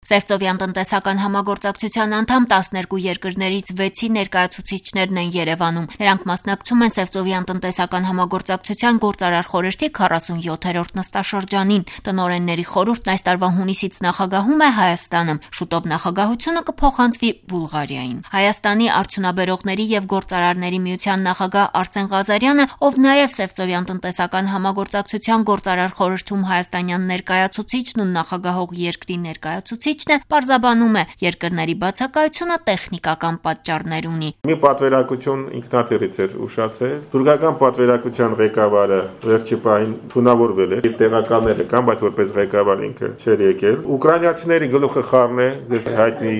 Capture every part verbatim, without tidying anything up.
Սևծովյան տնտեսական համագործակցության անդամ տասներկու երկրներից վեցի ներկայացուցիչներն են Երևանում։ Նրանք մասնակցում են Սևծովյան տնտեսական համագործակցության գործարար խորհրդի քառասունյոթերորդ նստաշրջանին։ Տնօրենների խորհուրդն այս տարվա հունիսից նախագահում է Հայաստանում։ Շուտով նախագահությունը կփոխանցվի Բուլղարիային։ Հայաստանի արդյունաբերողների եւ գործարարների միության նախագահ Արսեն Ղազարյանը, ով նաեւ Սևծովյան տնտեսական համագործակցության գործարար խորհրդում հայաստանյան ներկայացուցիչն ու նախագահող երկրի ներկայացուցիչ պարզաբանում է, երկրների բացակայությունը տեխնիկական պատճառներ ունի։ Մի պատվերակություն ինքնաթիռից էր ուշացել։ Թուրքական պատվերակության ղեկավարը վերջի պահին թունավորվել էր, տեղակալները կան, բայց որպես ղեկավար ինքը չէր եկել։ Ուկրաինացիների գլուխը խառն է, ձեզ հայտնի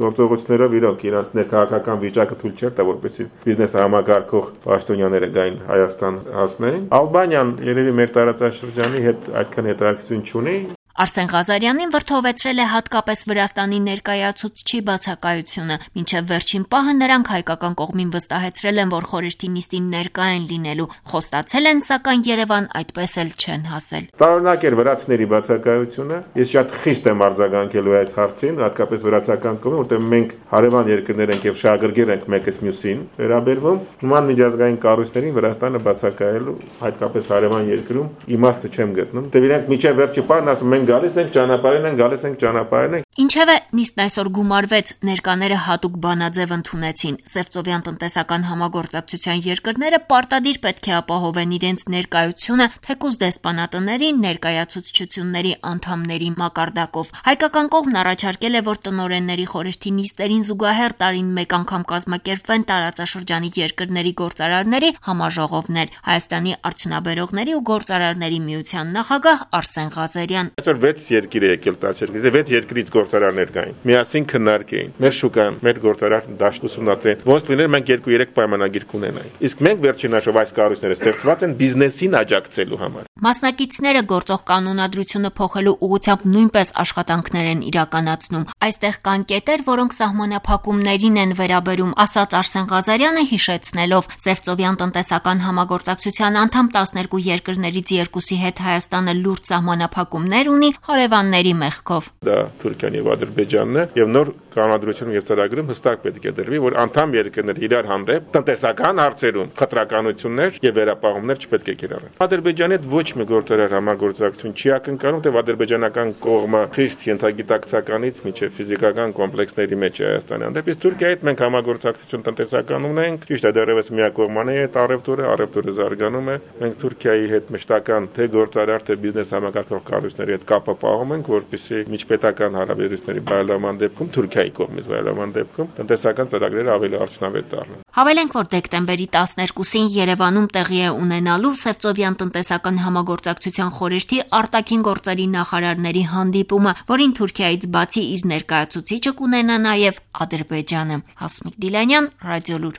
գործողություններով իրոք իրանց ներքաղաքական վիճակը թույլ չէր տա, որպեսզի բիզնեսը համակարգող պաշտոնյաները գային Հայաստան հասնեն։ Ալբանիան երևի մեր տարածաշրջանի հետ այդքան հետաքրքրություն չունի։ Արսեն Ղազարյանին վրդովեցրել է հատկապես Վրաստանի ներկայացուցչի բացակայությունը։ Մինչև վերջին պահը նրանք հայկական կողմին վստահեցրել են, որ խորհրդի նիստին ներկա են լինելու։ Խոստացել են, սակայն Երևան այդպես էլ չեն հասել։ Տարօրինակ էր վրացիների բացակայությունը։ Ես շատ խիստ եմ արձագանքելու այս հարցին, հատկապես վրացական կողմին, որտեղ մենք հարևան երկրներ ենք եւ շահագրգիռ ենք մեկս մյուսին վերաբերվում։ Նման միջազգային կառույցներին Վրաստանը բացակայելու, հատկապես հարևան երկրում իմաստը չեմ գտնում։ Դե իրենք միջև վերջի պահն ասում են գալիս ենք ճանապարհին են, գալիս ենք ճանապարհին են։ Ինչևէ, նիստն այսօր գումարվեց, ներկաները հատուկ բանաձև ընդունեցին։ Սևծովյան տնտեսական համագործակցության երկրները պարտադիր պետք է ապահովեն իրենց ներկայությունը թեկուզ դեսպանատների ներկայացուցչությունների անդամների մակարդակով։ Հայկական կողմն առաջարկել է, որ տնօրենների խորհրդի նիստերին զուգահեռ տարին մեկ անգամ կազմակերպվեն տարածաշրջանի երկրների գործարարների համաժողովներ։ Հայաստանի արդյունաբերողների ու գործարարների միության նախագահ Արսեն Ղազարյան վեց երկիր է եկել տասը երկրից, վեց երկրից գործարարներ կային։ Միասին քննարկեին։ Մեր շուկան, մեր գործարար դաշտ ուսումնասիրեն։ Ոնց լիներ մենք երկու-երեք պայմանագիր կունենայինք։ Իսկ մենք վերջին հաշվով այս կառույցները ստեղծված են բիզնեսին աջակցելու համար։ Մասնակիցները գործող կանոնադրությունը փոխելու ուղղությամբ նույնպես աշխատանքներ են իրականացնում։ Այստեղ կան կետեր, որոնք սահմանափակումներին են վերաբերում, ասաց Արսեն Ղազարյանը, հիշեցնելով Սևծովյան տնտեսական համագործակցության անդամ տասներկու երկրներից երկուսի հետ Հայաստանը լուրջ սահմանափակումներ ունի հարևանների մեղքով։ Դա Թուրքիան եւ Ադրբեջանն է եւ նոր կանոնադրությունում եւ ծրագրում հստակ պետք է դրվի, որ անդամ երկրներ իրար հանդեպ տնտեսական հարցերում խտրականություններ եւ վերապահումներ չպետք է կիրառեն։ Ադրբեջանի հետ ոչ մի գործարար համագործակցություն չի ակնկալում, թե ադրբեջանական կողմը խիստ ենթագիտակցականից միջև ֆիզիկական կոմպլեքսների մեջ է Հայաստանի հանդեպ։ Իսկ Թուրքիայի հետ մենք համագործակցություն տնտեսական ունենք, ճիշտ է, դեռևս միակողմանի է առևտուրը, առևտուրը զարգանում է։ Մենք Թուրքիայի հետ մշտական թե գործարար թե բիզնես համակարգող կառույցների հետ կապը պահում ենք, որպեսզի միջպետական հարաբերությունների բարելավման դեպքում Թուրքիայի կողմից բարելավման դեպքում տնտեսական ծրագրերը ավելի արդյունավետ դառնան։ Հավելենք, որ դեկտեմբերի տասներկուսին Երևանում տեղի է ունենալու Սևծովյան տնտեսական համագործակցության խորհրդի արտաքին գործերի նախարարների հանդիպումը, որին Թուրքիայից բացի իր ներկայացուցիչը կունենա նաև Ադրբեջանը։ Հասմիկ Դիլանյան, Ռադիոլուր։